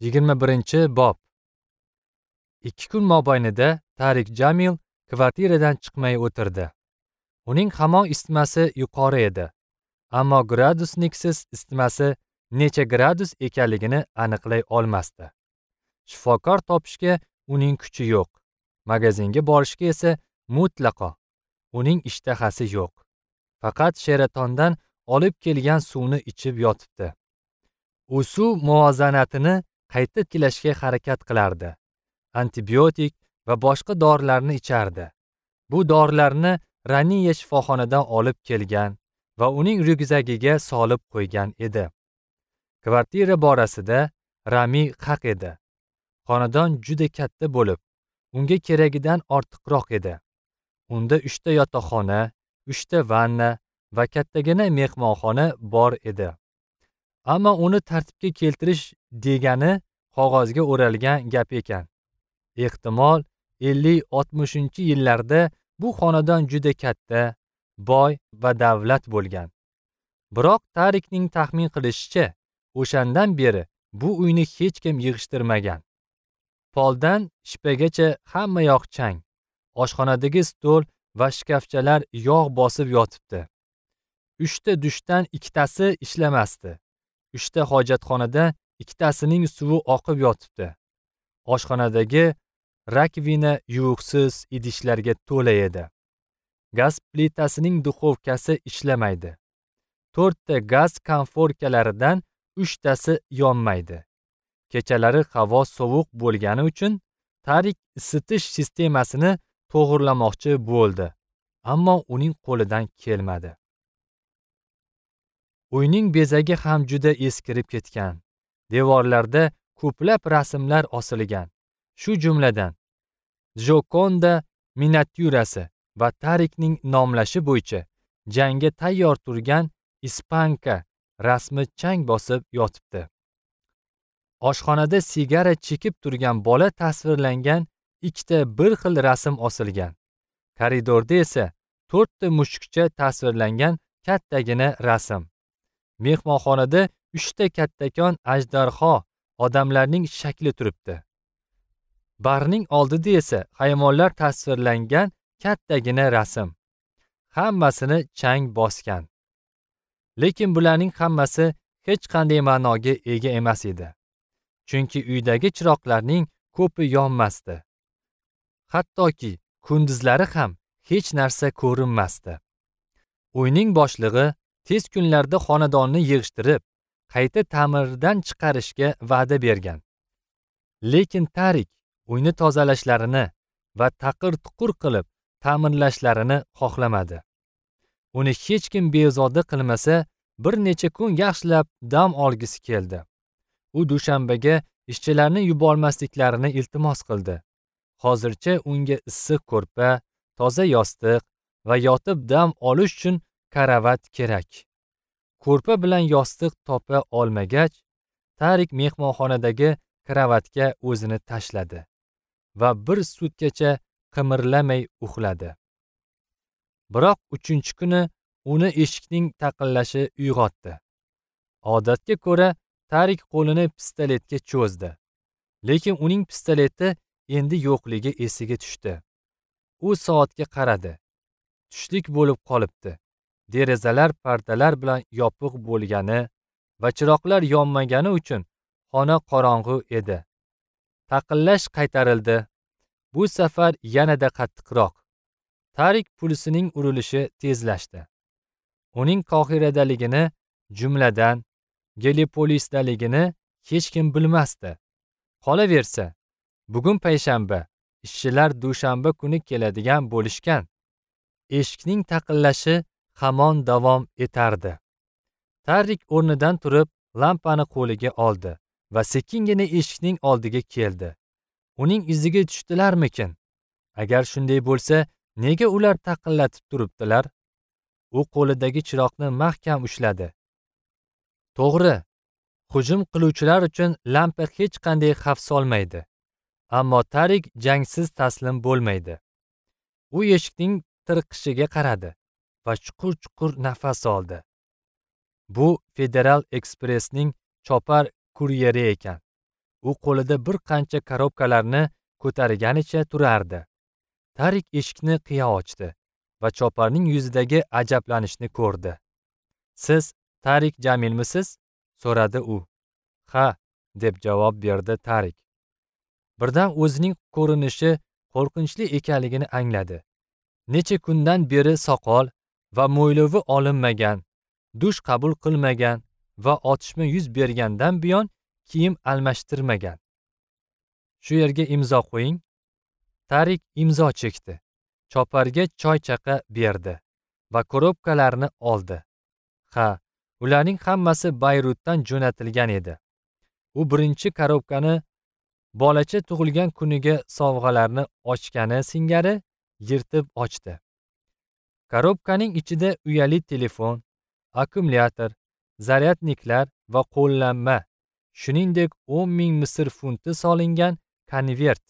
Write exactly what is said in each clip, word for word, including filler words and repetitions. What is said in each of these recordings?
Yigirma birinchi bob. Ikki kun mobaynida Tarik Jamil kvartiradan chiqmay o'tirdi. Uning hamon isitmasi yuqori edi. Ammo gradusniksiz isitmasi necha gradus ekanligini aniqlay olmasdi. Shifokor topishga uning kuchi yo'q. Magazinga borishga esa mutlaqo uning ishtahasi yo'q. Faqat Sheratondan olib kelgan suvni ichib yotibdi. U suv muvozanatini qayta tiklashga harakat qilardi. Antibiotik va boshqa dorilarni ichardi. Bu dorilarni Raniya shifoxonadan olib kelgan va uning ryukzagiga solib qo'ygan edi. Kvartira borasida Rami haq edi. Xonadon juda katta bo'lib, unga keragidan ortiqroq edi. Unda uchta yotoqxona, uchta vanna va kattagina mehmonxona bor edi. Ammo uni tartibga keltirish degani qog'ozga o'ralgan gap ekan. Ehtimol ellik oltmishinchi yillarda bu xonadon juda katta, boy va davlat bo'lgan. Biroq Tarikning taxmin qilishicha, o'shandan beri bu uyni hech kim yig'ishtirmagan. Poldan shipagacha hamma yoq chang. Oshxonadagi stol va shkafchalar yog' bosib yotibdi. Uchta dushdan ikkitasi ishlamasdi. Uchta hojatxonada ikkitasining suvi oqib yotibdi. Oshxonadagi rakvina yuvuqsiz idishlarga to'la edi. Gaz plitasining duxovkasi ishlamaydi. To'rtta gaz konforkalaridan uchtasi yonmaydi. Kechalari havo sovuq bo'lgani uchun Tarik isitish sistemasini to'g'irlamoqchi bo'ldi, ammo uning qo'lidan kelmadi. Uyning bezagi ham juda eskirib ketgan. Devorlarda ko'plab rasmlar osilgan. Shu jumladan Jokonda miniatyurasi va Tarikning nomlashi bo'yicha jangga tayyor turgan ispanka rasmi chang bosib yotibdi. Oshxonada sigara chekib turgan bola tasvirlangan ikkita bir xil rasm osilgan. Koridorda esa to'rtta mushukcha tasvirlangan kattagina rasm. Mehmonxonada uchta kattakon ajdarho odamlarning shakli turibdi. Barning oldida esa hayvonlar tasvirlangan kattagina rasm. Hammasini chang bosgan. Lekin bularning hammasi hech qanday ma'noga ega emas edi. Chunki uydagi chiroqlarning ko'pi yonmasdi. Hattoki kunduzlari ham hech narsa ko'rinmasdi. Uyning boshlig'i tez kunlarda xonadonni yig'ishtirib, qayta ta'mirdan chiqarishga va'da bergan. Lekin Tarik uyni tozalashlarini va taqir-tuqur qilib ta'mirlashlarini xohlamadi. Uni hech kim bezovta qilmasa, bir necha kun yaxshilab dam olgisi keldi. U dushanbaga ishchilarni yubormasliklarini iltimos qildi. Hozircha unga issiq ko'rpa, toza yostiq va yotib dam olish uchun karavat kerak. Ko'rpa bilan yostiq topa olmagach, Tarik mehmonxonadagi kravatga o'zini tashladi va bir sutkacha qimirlamay uxladi. Biroq uchinchi kuni uni eshikning taqillashi uyg'otdi. Odatga ko'ra Tarik qo'lini pistoletga cho'zdi. Lekin uning pistoleti endi yo'qligi esiga tushdi. U soatga qaradi. Tushlik bo'lib qolibdi. Derazalar pardalar bilan yopiq bo'lgani va chiroqlar yonmagani uchun xona qorong'u edi. Taqillash qaytarildi. Bu safar yanada qattiqroq. Tarik pulsining urilishi tezlashdi. Uning Qohiradaligini, jumladan Gelipolisdaligini hech kim bilmasdi. Qolaversa, bugun payshanba, ishchilar dushanba kuni keladigan bo'lishgan. Eshikning taqillashi hamon davom etardi. Tarik o'rnidan turib, lampani qo'liga oldi va sekingina eshikning oldiga keldi. Uning iziga tushdilarmikin? Agar shunday bo'lsa, nega ular taqillatib turibdilar? U qo'lidagi chiroqni mahkam ushladi. To'g'ri, hujum qiluvchilar uchun lampa hech qanday xavf solmaydi. Ammo Tarik jangsiz taslim bo'lmaydi. U eshikning tirqishiga qaradi va chuqur-chuqur nafas oldi. Bu Federal Ekspressning chopar kuryeri ekan. U qo'lida bir qancha korobkalarni ko'targanicha turardi. Tarik eshikni qiya ochdi va choparning yuzidagi ajablanishni ko'rdi. "Siz Tarik Jamilmisiz?" so'radi u. "Ha", deb javob berdi Tarik. Birdan o'zining ko'rinishi qo'rqinchli ekanligini angladi. Necha kundan beri soqol va mo'ylovi olinmagan, dush qabul qilmagan va otishma yuz bergandan buyon kiyim almashtirmagan. "Shu yerga imzo qo'ying." Tarik imzo chekdi. Choparga choy chaqa berdi va korobkalarni oldi. Ha, ularning hammasi Bayrutdan jo'natilgan edi. U birinchi korobkani bolacha tug'ilgan kuniga sovg'alarni ochgani singari yirtib ochdi. Korobkaning ichida uyali telefon, akkumulyator, zaryadniklar va qo'llanma, shuningdek o'n ming Misr funti solingan konvert,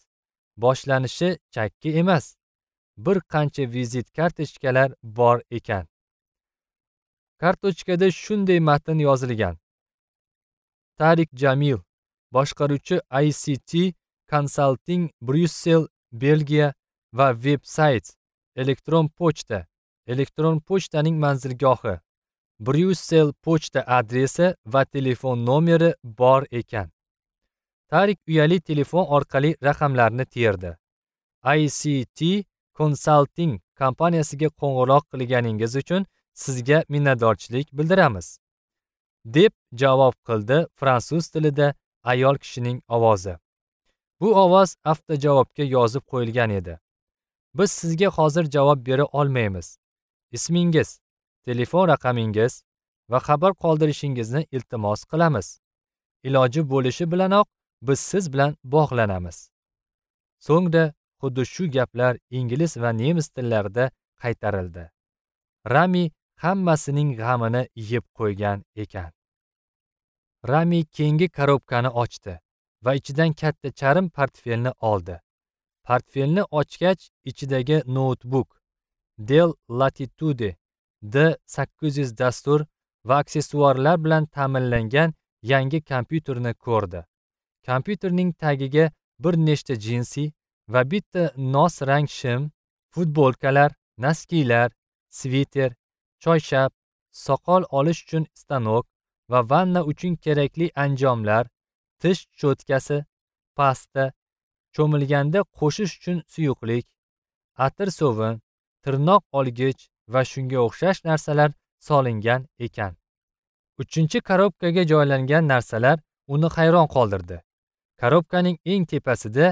boshlanishi chakki emas, bir qancha vizit kartochkalar bor ekan. Kartochkada shunday matn yozilgan: Tarik Jamil, boshqaruvchi I C T Consulting Bryussel, Belgiya va veb-sayt, elektron pochta, elektron pochtaning manzilgohi, Bryussel pochta adresi va telefon nomeri bor ekan. Tarik uyali telefon orqali raqamlarni terdi. I C T Consulting kompaniyasiga qo'ng'iroq qilganingiz uchun sizga minnatdorchilik bildiramiz, deb javob qildi fransuz tilida ayol kishining ovozi. Bu ovoz avtojavobga yozib qo'yilgan edi. Biz sizga hozir javob bera olmaymiz. Ismingiz, telefon raqamingiz va xabar qoldirishingizni iltimos qilamiz. Iloji bo'lishi bilanoq biz siz bilan bog'lanamiz. So'ngra xuddi shu gaplar ingliz va nemis tillarida qaytarildi. Rami hammasining g'amini yeb qo'ygan ekan. Rami keyingi korobkani ochdi va ichidan katta charm portfelni oldi. Portfelni ochgach ichidagi noutbuk, Dell Latitude D sakkiz yuz dastur va aksessuarlar bilan ta'minlangan yangi kompyuterni ko'rdi. Kompyuterning tagiga bir nechta jinsi va bitta nos rang shim, futbolkalar, naskilar, sviter, choyshab, soqol olish uchun stanok va vanna uchun kerakli anjomlar, tish cho'tkasi, pasta, cho'milganda qo'shish uchun suyuqlik, atir sovun, tirnoq olgich va shunga o'xshash narsalar solingan ekan. Uchinchi korobkaga joylangan narsalar uni hayron qoldirdi. Korobkaning eng tepasida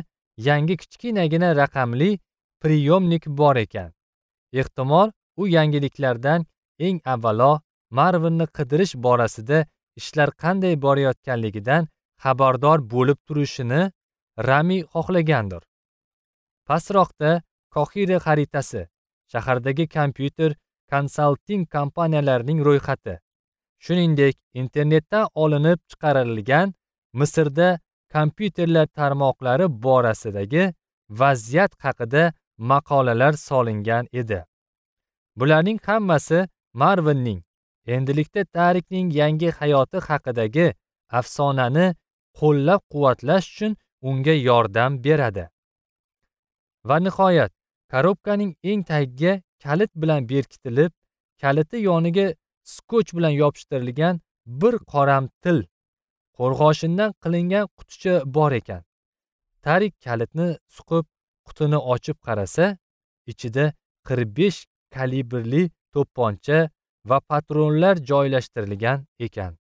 yangi kichkinagina raqamli priyomnik bor ekan. Ehtimol u yangiliklardan eng avvalo Marvinni qidirish borasida ishlar qanday borayotganligidan xabardor bo'lib turishini Rami xohlagandir. Pastroqda Qohira xaritasi, shahardagi kompyuter konsalting kompaniyalarining ro'yxati, shuningdek internetdan olinib chiqarilgan Misrda kompyuterlar tarmoqlari borasidagi vaziyat haqida maqolalar solingan edi. Bularning hammasi Marvinning, endilikda Tarikning yangi hayoti haqidagi afsonani qo'llab-quvvatlash uchun unga yordam beradi. Va nihoyat, korobkaning eng tagiga kalit bilan berkitilib, kaliti yoniga skoch bilan yopishtirilgan bir qoramtil qo'rg'oshindan qilingan quticha bor ekan. Tarik kalitni suqib, qutini ochib qarasa, ichida qirq besh kalibrli to'pponcha va patronlar joylashtirilgan ekan.